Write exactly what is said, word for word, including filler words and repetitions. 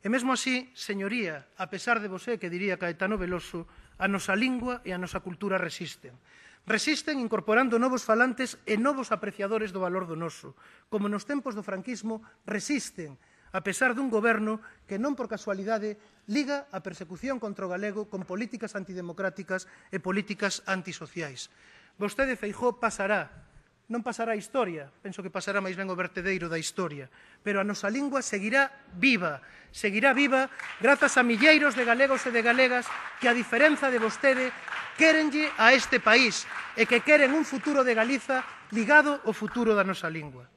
E mesmo así, señoría, a pesar de você, que diría Caetano Veloso, a nosa lingua e a nosa cultura resisten. Resisten incorporando novos falantes e novos apreciadores do valor do noso, como nos tempos do franquismo resisten, a pesar dun goberno que non por casualidade liga a persecución contra o galego con políticas antidemocráticas e políticas antisociais. Vostede, Feijóo, pasará, non pasará a historia, penso que pasará máis ben o vertedeiro da historia, pero a nosa lingua seguirá viva, seguirá viva grazas a milleiros de galegos e de galegas que, a diferenza de vostede, quérenlle a este país e que queren un futuro de Galiza ligado ao futuro da nosa lingua.